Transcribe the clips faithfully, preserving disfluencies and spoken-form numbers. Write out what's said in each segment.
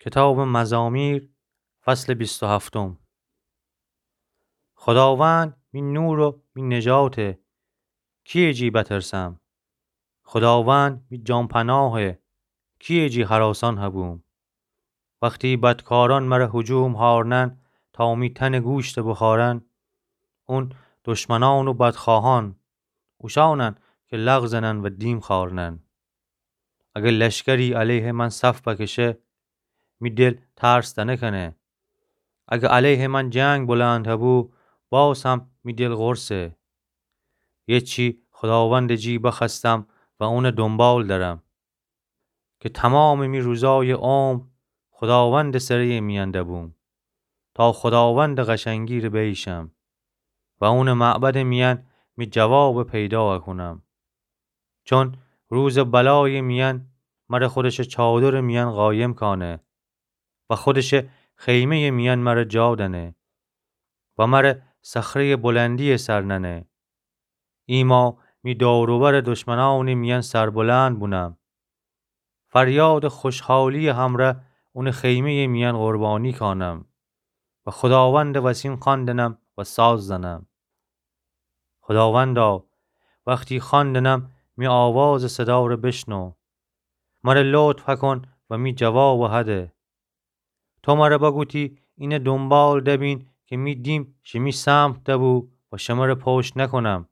کتابٚ مزامیر، فصلٚ بیست و هفتم. خوداوند می نور و می نجاته، کیه جی بترسم؟ خوداوند می جان‌پناهه، کیه جی هراسان هبوم؟ وختی بدکارأن مر هجوم هارنن، تا می تنٚ گوشت بخارن، اون دشمنأن و بدخواهأن، اوشأنن کی لغ زنن و دیم خارنن. اگر لشکری علیهٚ من صف بکشه، می دل ترس دنکنه. اگر علیهٚ من جنگ بلند هبو، باز هم می دل قرصه. یه چی خوداوندٚ جی بخوأستم و اونٚ دونبال درم، کی تومامٚ می روزایٚ عمر خوداوندٚ سره‌یٚ میأن دبوم، تا خوداوندٚ قشنگی ره بیشم و اونٚ معبدٚ میأن می جواب پیدا کونم. چون روزٚ بلایٚ میأن مر خودشٚ چادرٚ میأن قایم کانه و خودشٚ خیمه‌یٚ میأن مر جا دنه و مر صخره‌یٚ بلندی‌یٚ سر ننه. ایما می دور و برٚ دشمنأنٚ میأن سربلند بونم. فریادٚ خوشحالی‌یٚ همرأ اونٚ خیمه‌یٚ میأن قربانی کانم و خوداوندٚ وسین خوأن دنم و ساز زنم. خوداوندا، وختی خوأن دنم، می آوازٚ صدا ره بشنو. مر لطف هکن و می جواب هده. تو مر بگوتی، اینه دونبال دبین کی می دیم شیمی سمت دبو و شمر پشت نکونم.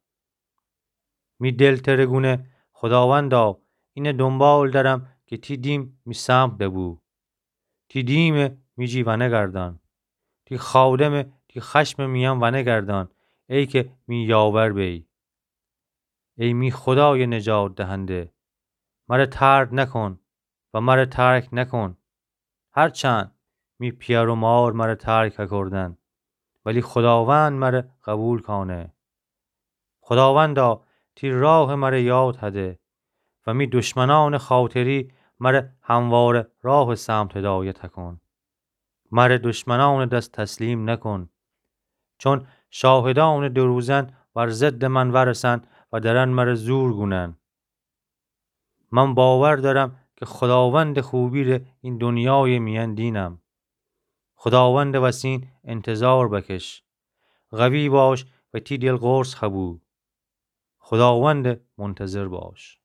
می دل تره گونه، خوداوندا، اینه دونبال درم کی تی دیم می سمت دبو. تی دیمه می جی ونگردان. تی خاودمه تی خشمٚ میأن ونگردان، ای کی می یاور بی. ای می خودایٚ نجات دهنده، مر ترد نکن و مر ترک نکن. هرچند می پیأر و مار مر ترک هکردن، ولی خوداوند مر قبول کانه. خوداوندا، تی راه مر یاد هده و می دشمنأنٚ خاطری مر همواره راهٚ سمت هدایت هکن. مر دشمنأنٚ دس تسلیم نکن، چون شاهدأنٚ دوروزن بر ضدٚ من ورسن و درن مر زور گونن. من باور دأرم کی خوداوندٚ خوبی ره این دونیایٚ میأن دینم. خوداوندٚ وسین انتظار بکش. قوی باش و تی دل قرص هبو. خوداوندٚ منتظر باش.